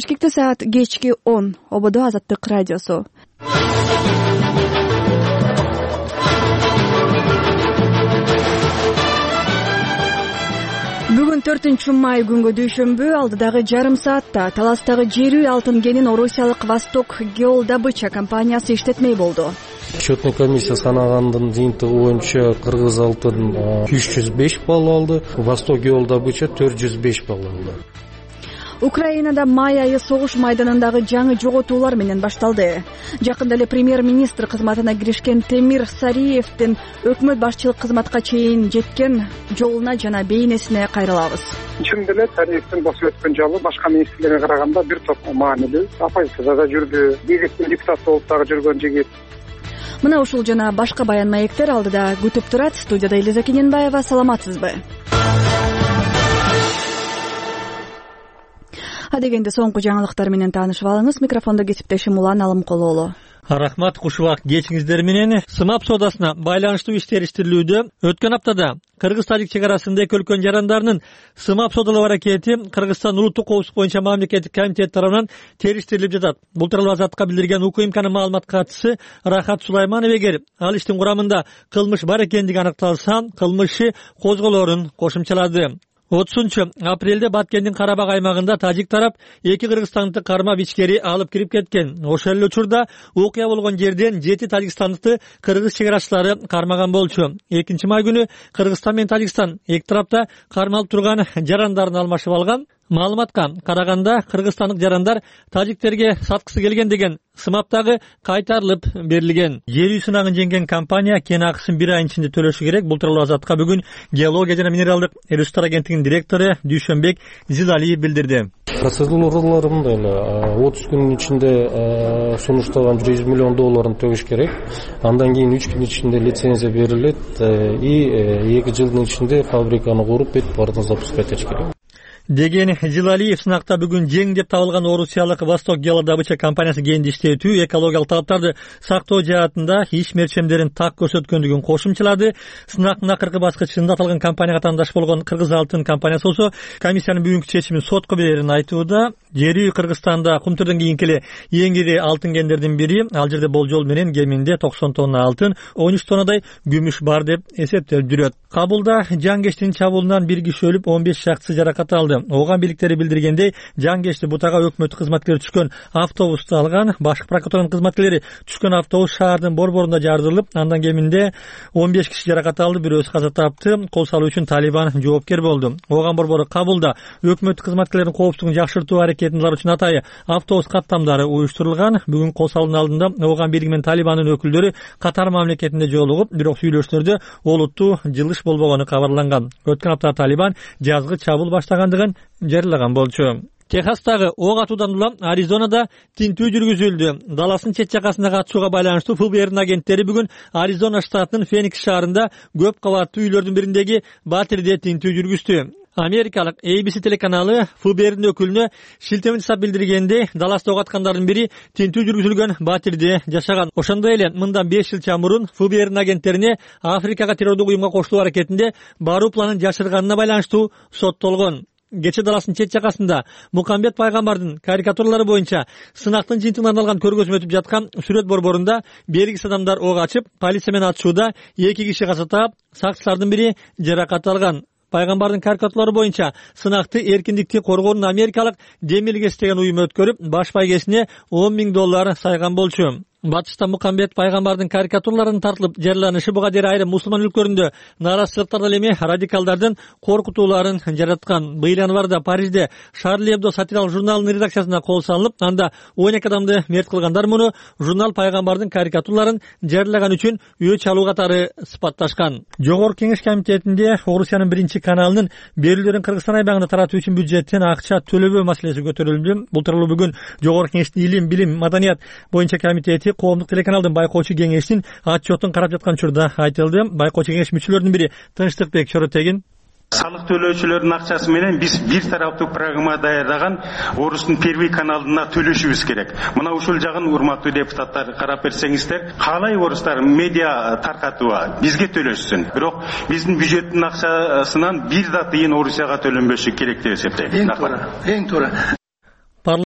Бишкекте саат кечки 10. Ободо Азаттык радиосу. Бүгүн 4-май күнгө дүйшөмбү алдыдагы жарым саатта Таластагы жерүү алтын кенин орусиялык Восток Геолдобыча компаниясы иштетмей болду. Счетный комиссия санагандын жыйынтыгы боюнча Кыргыз алтын 305 балл алды, Восток Геолдобыча 405 балл алды. Украинада май айы согуш майданындагы жаңы жоготуулар менен башталды. Жакында эле премьер-министр кызматына киришкен Темир Сариевдин өкмөт башчылык кызматка чейин жеткен жолуна жана бейнесине кайрылабыз. Чындап эле Сариевдин босуп өткөн жолу башка министрлерге караганда бир топ маанилүү. Оппозицияда да жүрдү, бийликтин депутаты болуп дагы жүргөн жигит. Мына ушул жана башка баян маектер алдыда күтүп турат. Студияда Элиза Кененбаева. Саламатсызбы? Адегенде соңку жаңылыктар менен таанышып алыңыз. Микрофондо кесиптешим Улан Алымкулоолу. Рахмат, кушубак кечиңиздер менен. СымАП соодасына байланыштуу иштер иштирилүүдө. Өткөн аптада Кыргыз-Тажик чек арасында эки өлкөнүн жарандарынын СымАП соодалоо аракети Кыргызстан улуттук коопсуздук боюнча мамлекеттик комитет тарабынан териштирилип жатат. Бул тууралуу Азаттыкка билдирген УКМКнын маалымат катчысы Рахат Сулайманов эгер ал иштин курамында кылмыш бар экендиги аныкталса, кылмыш козголоорун кошумчалады. 30-апрелде Баткендин Карабак аймагында тажик тарап эки кыргызстандыкты кармап ичкери алып кирип кеткен. Ошол эле учурда окуя болгон жерден 7 тажикстандыкты кыргыз чек арачылары кармаган болчу. 2-май күнү Кыргызстан менен Тажикстан эки тарапта кармалып турган жарандарын алмашып алган. Маалыматка караганда кыргызстандык жарандар тажиктерге саткысы келген деген СымАПтагы кайтарылып берилген. Жерүү сынагын жеңген компания кен акысын 1 айдын ичинде төлөшү керек. Бул тууралуу Азаттыкка бүгүн геология жана минералдык ресурстар агенттигинин директору Дүйшөнбек Зилалиев билдирди. Процедуралары мындай эле 30 күнүн ичинде сунуштаган $100 миллион төлөш керек. Андан кийин 3 күн ичинде лицензия берилет и 2 жылдын ичинде фабриканы куруп бүт бардын запускать этиш керек деген Зилалиев. Сынакта бүгүн жең деп табылган орусиялык Восток Геолдобыча компаниясы кенди иштетүү, экологиялык талаптарды сактоо жаатында иш мерчемдерин так көрсөткөндүгүн кошумчалады. Сынактын акыркы баскычында аталган компанияга тандаш болгон Кыргыз алтын компаниясы болсо комиссиянын бүгүнкү чечимин сотко берерин айтууда. Жерүү Кыргызстанда кумтурдан кийинки эле эң ири алтын кендердин бири. Ал жерде болжол менен кеминде 90 тонна алтын, 13 тоннадай күмүш бар деп эсептелип жүрөт. Кабулда жангештин чабуулунан 1 киши өлүп, 15 шактысы жаракат алды. Ооган бийликтери билдиргендей, жангешти бутага өкмөт кызматкерлери түшкөн автобусту алган. Башкы прокуратуранын кызматкерлери түшкөн автобус шаардын борборунда жардырылып, андан кеминде 15 киши жаракат алды, бирөөсү каза тапты. Кол салуу үчүн Талибан жоопкер болду. Ооган борбору Кабулда өкмөт кызматкерлеринин коопсуздугун жакшыртуу аракетин кылар үчүн атайы автобус каттамдары уюштурулган. Бүгүн кол салуунун алдында Ооган бийлиги менен Талибандын өкүлдөрү Катар мамлекетинде жолугуп, бирок сүйлөшүүлөрдө олуттуу жылыш болбогону кабарланган. Өткөн апта Талибан жазгы чабуул баштагандыгын жарыялаган болчу. Техастагы ок атуудан улам Аризонада тинтүү жүргүзүлдү. Даластын чет жакасындагы атышууга байланыштуу ФБР'нин агенттери бүгүн Аризона штатынын Феникс шаарында көп кабаттуу үйлөрдүн бириндеги батирде тинтүү жүргүздү. Америкалык ABC телеканалы ФБР'нин өкүлүнө шилтеме жасап билдиргенде, Даласта ок аткандардын бири тинтүү жүргүзүлгөн батирде жашаган. Ошондой эле мындан 5 жыл мурун ФБР'нин агенттерине Африкага террордук уюмга кошулуу аракетинде баруу планын жашырганына байланыштуу соттолгон. Кече Даластын чет жакасында Мухаммед пайгамбардын карикатуралары боюнча сынактын жыйынтыгына арналган көргөзмө өтүп жаткан сүрөт борборунда белгисиз адамдар ок ачып, полиция менен атышууда 2 киши каза таап, сакчылардын бири жаракат алган. Пайгамбардын карикатуралары боюнча сынакты эркиндикти коргоонун америкалык Демилгес деген уюму өткөрүп, баш байгесине $10 000 сайган болчу. Батышта Мухаммед пайгамбардын карикатураларынын тартылып жарыяланышы буга дейин айрым мусулман өлкөлөрүндө нааразычылыктардан эми радикалдардын коркутууларын жараткан. Быйыл январда Парижде Шарли Эбдо сатиралык журналынын редакциясына кол салынып, анда 12 адамды мерт кылгандар муну журнал пайгамбардын карикатураларын жарыялаган үчүн өч алуу катары сыпатташкан. Жогорку Кеңеш комитетинде Орусиянын 1-каналынын берүүлөрүн Кыргызстан айбагында таратуу үчүн бюджеттен акча төлөбөө маселеси көтөрүлдү. Бул тууралуу бүгүн Жогорку Кеңештин илим, билим, маданият боюнча комитети коомдук телеканалдын байкоочу кеңештин отчетун карап жаткан учурда айтылды. Байкоочу кеңеш мүчөлөрүнүн бири Тынчтыкбек Чоротегин Салык төлөөчүлөрдүн акчасы менен биз бир тараптуу программа даярдаган Орустун первый каналына төлөшүбүз керек. Мына ушул жагын урматтуу депутаттар карап берсеңиздер, каалай орустар медиа таркатууга бизге төлөшсүн. Бирок биздин бюджеттин акчасынан бир да тыйын Орусияга төлөнбөшү керек деп эсептейм. Эң туура.